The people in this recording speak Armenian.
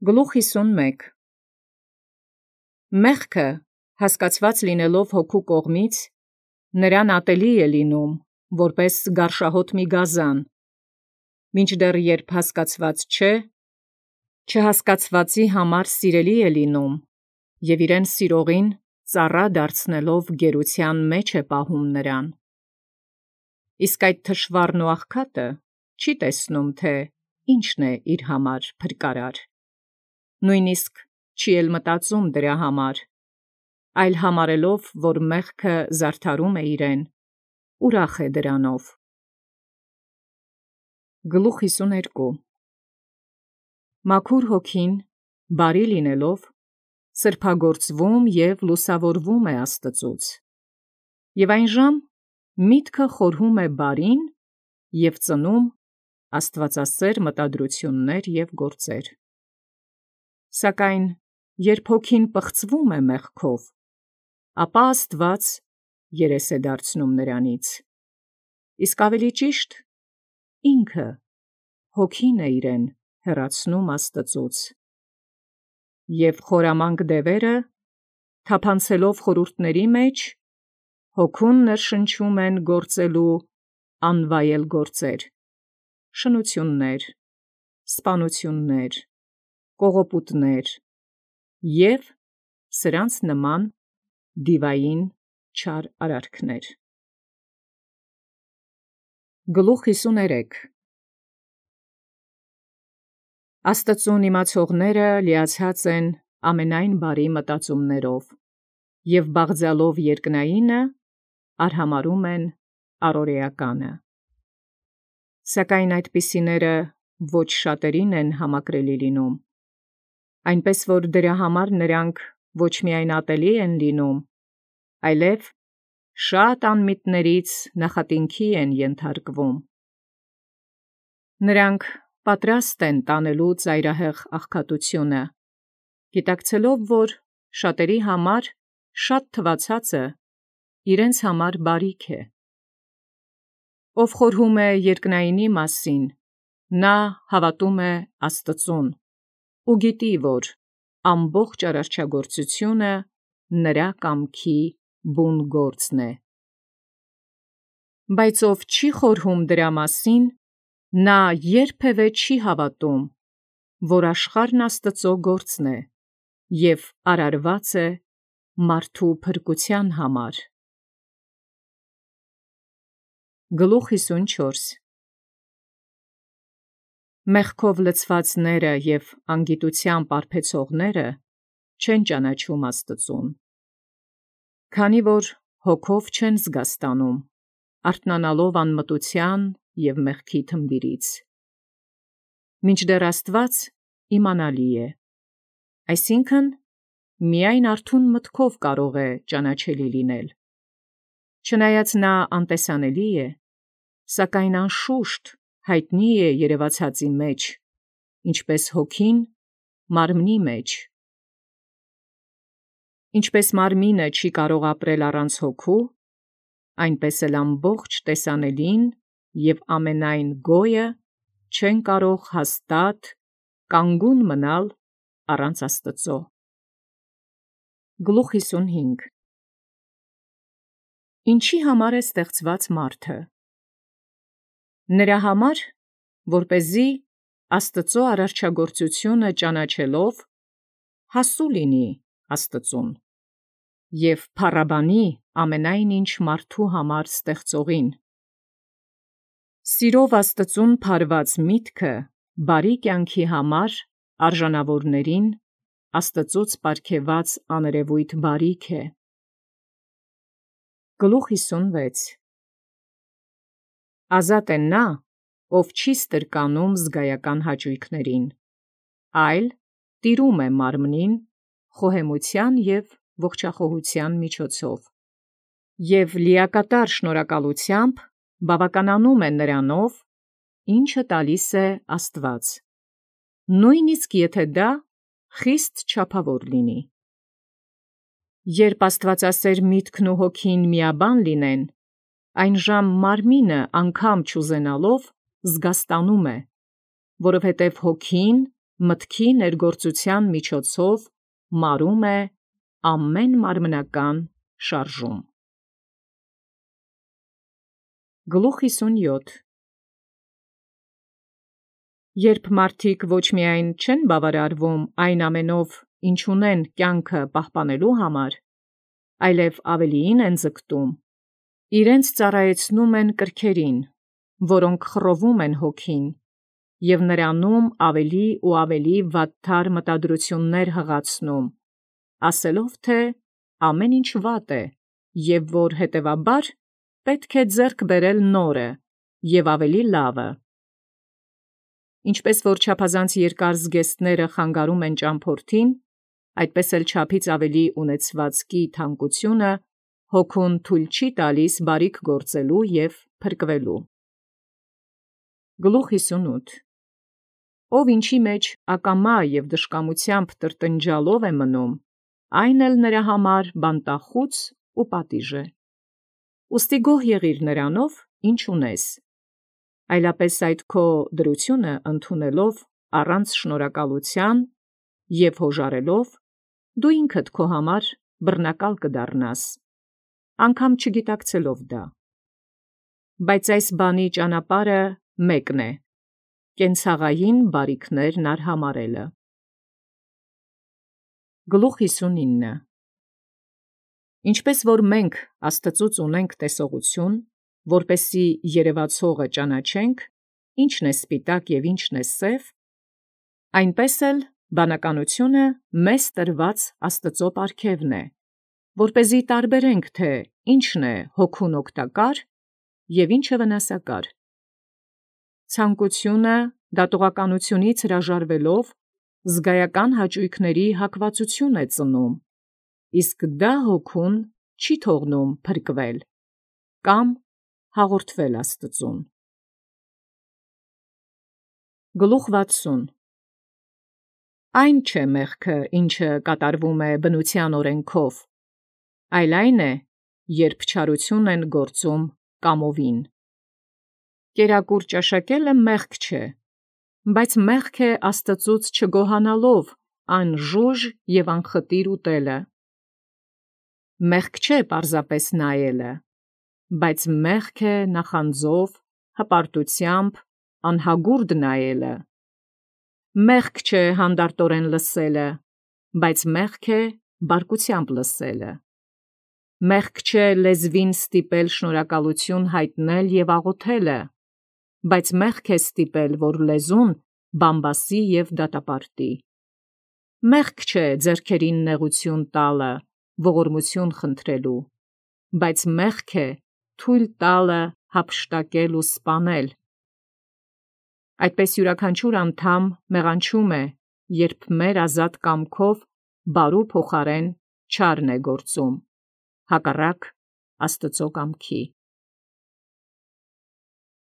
Գլուխ 51 Մեղքը հասկացված լինելով հոգու կողմից, նրան ատելի է լինում, որպես գարշահոտ մի գազան, մինչդեռ երբ հասկացված չէ, չհասկացվածի համար սիրելի է լինում, և իրեն սիրողին ծառա դարձնելով գերության մեջ է պահում նրան։ Իսկ այդ թշվառն ու աղքատը չի տեսնում, թե ինչն է իր համար փրկարար, նույնիսկ չի էլ մտածում դրա համար, այլ համարելով, որ մեղքը զարդարում է իրեն, ուրախ է դրանով։ Գլուխ 52 Մաքուր հոգին, բարի լինելով, սրբագործվում և լուսավորվում է Աստծուց, և այնժամ միտքը խորհում է բարին և ծնում աստվածասեր մտադրություններ և գործեր։ Սակայն երբ հոգին պղծվում է մեղքով, ապա Աստված երես է դարձնում նրանից, իսկ ավելի ճիշտ ինքը հոգին է իրեն հեռացնում Աստծուց, և խորամանկ դևերը, թափանցելով խորհուրդների մեջ, հոգուն ներշնչում են գործելու անվայել գործեր, շնություններ, սպանություններ, կողոպուտներ և սրանց նման դիվային չար արարքներ։ Գլուխ 53 Աստծուն իմացողները լիացած են ամենայն բարի մտածումներով և բաղձալով երկնայինը արհամարհում են առօրեականը։ Սակայն այդպիսիները ոչ շատերին են համակրելի լինում, այնպես որ դրա համար նրանք ոչ միայն ատելի են լինում, այլև շատ անմիտներից նախատինքի են ենթարկվում։ Նրանք պատրաստ են տանելու ծայրահեղ աղքատությունը, գիտակցելով, որ շատերի համար շատ թվացածը իրենց համար բարիք է։ Ով խորհում է երկնայինի մասին, նա հավատում է Աստծուն ու գիտի, որ ամբողջ արարչագործությունը նրա կամքի բուն գործն է։ Բայց ով չի խորհում դրա մասին, նա երբևէ չի հավատում, որ աշխարհն Աստծո գործն է և արարված է մարդու փրկության համար։ Գլուխ 54 Մեղքով լցվածները և անգիտությամբ արբեցողները չեն ճանաչում Աստծուն, քանի որ հոգով չեն զգաստանում, արթնանալով անմտության և մեղքի թմբիրից, մինչդեռ Աստված իմանալի է, այսինքն միայն արթուն մտքով կարող է ճանաչելի լինել, չնայած նա անտեսանելի է, սակայն անշուշտ հայտնի է երևացածի մեջ, ինչպես հոգին մարմնի մեջ։ Ինչպես մարմինը չի կարող ապրել առանց հոգու, այնպես էլ ամբողջ տեսանելին և ամենայն գոյը չեն կարող հաստատ կանգուն մնալ առանց Աստծո։ Գլուխ 55 Ինչի համար է ստեղծված մարդը։ Նրա համար, որպեսզի Աստծո արարչագործությունը ճանաչելով հասու լինի Աստծուն և փառաբանի ամենայն ինչ մարդու համար ստեղծողին։ Սիրով Աստծուն փարված միտքը բարի կյանքի համար արժանավորներին Աստծուց պարգևած աներևույթ բարիք է։ Գլուխ 56 Ազատ է նա, ով չի ստրկանում զգայական հաճույքներին, այլ տիրում է մարմնին խոհեմության և ողջախոհության միջոցով, և լիակատար շնորհակալությամբ բավականանում է նրանով, ինչը տալիս է Աստված, նույնիսկ եթե դա խիստ չափավոր լինի։ Երբ աստվածասեր միտքն ու հոգին միաբան լինեն, այնժամ մարմինը անգամ չուզենալով զգաստանում է, որովհետև հոգին մտքի ներգործության միջոցով մարում է ամեն մարմնական շարժում։ Գլուխ 57 Երբ մարդիկ ոչ միայն չեն բավարարվում այն ամենով, ինչ ունեն կյանքը պահպանելու համար, այլև ավելիին են ձգտում, իրենց ծառայեցնում են կրքերին, որոնք խռովում են հոգին, և նրանում ավելի ու ավելի վատթար մտադրություններ հղացնում, ասելով, թե ամեն ինչ վատ է, և որ հետևաբար պետք է ձեռք բերել նորը և ավելի լավը։ Ինչպես որ չափազանց երկար զգեստները խանգարում են ճամփորդին, այդպես էլ չափից ավելի ունեցվածքի թանկությունը հոգուն թույլ չի տալիս բարիք գործելու և փրկվելու։ Գլուխ 58 Ով ինչի մեջ ակամա և դժկամությամբ տրտնջալով է մնում, այն էլ նրա համար բանտախուց ու պատիժ է։ Ուստի գոհ եղիր նրանով, ինչ ունես, այլապես այդ քո դրությունը ընդունելով առանց շնորհակալության և հոժարելով, դու ինքդ քո համար բռնակալ կդառնաս, անգամ չգիտակցելով դա։ Բայց այս բանի ճանապարհը մեկն է, կենցաղային բարիքներն արհամարելը։ Գլուխ 59 Ինչպես որ մենք Աստծուց ունենք տեսողություն, որպեսզի երևացողը ճանաչենք, ինչն է սպիտակ և ինչն է սև, այնպես էլ բանականությունը մեզ տրված Աստծո պարգևն է, որպեսզի տարբերենք, թե ինչն է հոգուն օգտակար և ինչը վնասակար։ Ցանկությունը դատողականությունից հրաժարվելով զգայական հաճույքների հակվածություն է ծնում, իսկ դա հոգուն չի թողնում փրկվել կամ հաղորդվել Աստծուն։ Գլուխ 60 Այն չէ մեղքը, ինչը կատարվում է բնության օրենքով, այլ այն է, երբ չարություն են գործում կամովին։ Կերակուր ճաշակելը մեղք չէ, բայց մեղք է Աստծուց չգոհանալով անժուժ և անխտիր ուտելը։ Մեղք չէ պարզապես նայելը, բայց մեղք է նախանձով, հպարտությամբ, անհագուրդ նայելը։ Մեղք չէ հանդարտորեն լսելը, բայց մեղք է բարկությամբ լսելը։ Մեղք չէ լեզվին ստիպել շնորհակալություն հայտնել և աղոթելը, բայց մեղք է ստիպել, որ լեզուն բամբասի և դատապարտի։ Մեղք չէ ձեռքերին նեղություն տալը, ողորմություն խնդրելու, բայց մեղք է թույլ տալը հափշտակել ու սպանել։ Այդպես յուրաքանչյուր անդամ մեղանչում է, երբ մեր ազատ կամքով բարու փոխարեն չարն է գործում, հակառակ Աստծո կամքի։